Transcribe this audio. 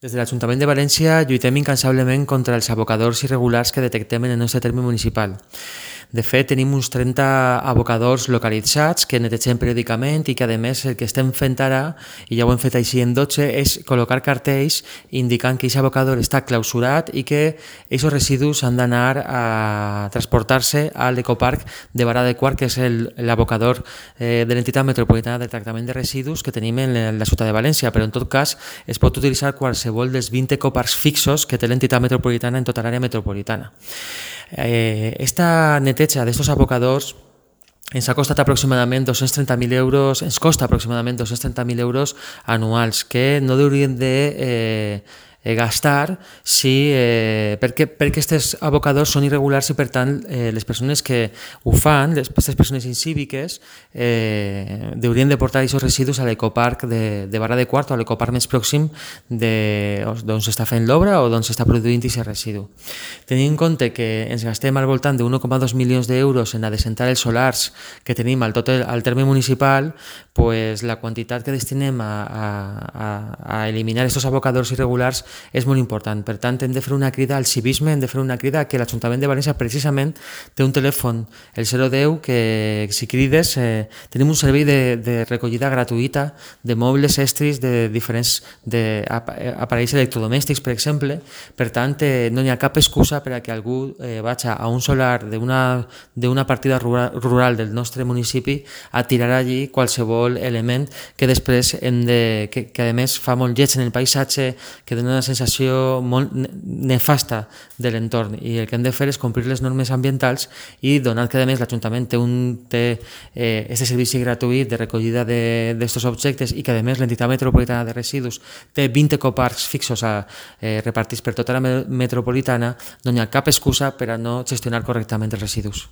Des de l'Ajuntament de València lluitem incansablement contra els abocadors irregulars que detectem en el nostre terme municipal. De fet, tenim uns 30 abocadors localitzats que netegem periòdicament i que, a més, el que estem fent ara, i ja ho hem fet així en 12, és col·locar cartells indicant que aquest abocador està clausurat i que aquests residus han d'anar a transportar-se a l'ecoparc de Vara de Quart, que és l'abocador de l'entitat metropolitana de tractament de residus que tenim en la ciutat de València, però en tot cas es pot utilitzar qualsevol dels 20 ecoparcs fixos que té l'entitat metropolitana en tota l'àrea metropolitana. Esta neteja d'aquests abocadors ens ha costat aproximadament 230.000 euros, ens costa aproximadament 230.000 euros anuals, que no haurien de gastar perquè aquests abocadors són irregulars i, per tant, les persones que ho fan, aquestes persones incíviques, haurien de portar aquests residus a l'ecoparc de Vara de Quart o a l'ecoparc més pròxim d'on s'està fent l'obra o d'on s'està produint aquest residu. Tenint en compte que ens gastem al voltant de 1,2 milions d'euros en adecentar els solars que tenim al terme municipal, la quantitat que destinem a eliminar aquests abocadors irregulars és molt important. Per tant, hem de fer una crida al civisme, hem de fer una crida que l'Ajuntament de València precisament té un telèfon, el 010, que si crides tenim un servei de recollida gratuïta de mobles, estris, de diferents aparells electrodomèstics, per exemple. Per tant, no hi ha cap excusa per a que algú vagi a un solar d'una partida rural del nostre municipi a tirar allí qualsevol element que després que a més fa molt lleig en el paisatge, que dona una sensació molt nefasta de l'entorn, i el que hem de fer és complir les normes ambientals i donat que a més l'Ajuntament té aquest servici gratuït de recollida d'aquests objectes i que a més l'entitat metropolitana de residus té 20 ecoparcs fixos repartits per tota la metropolitana, no hi ha cap excusa per a no gestionar correctament els residus.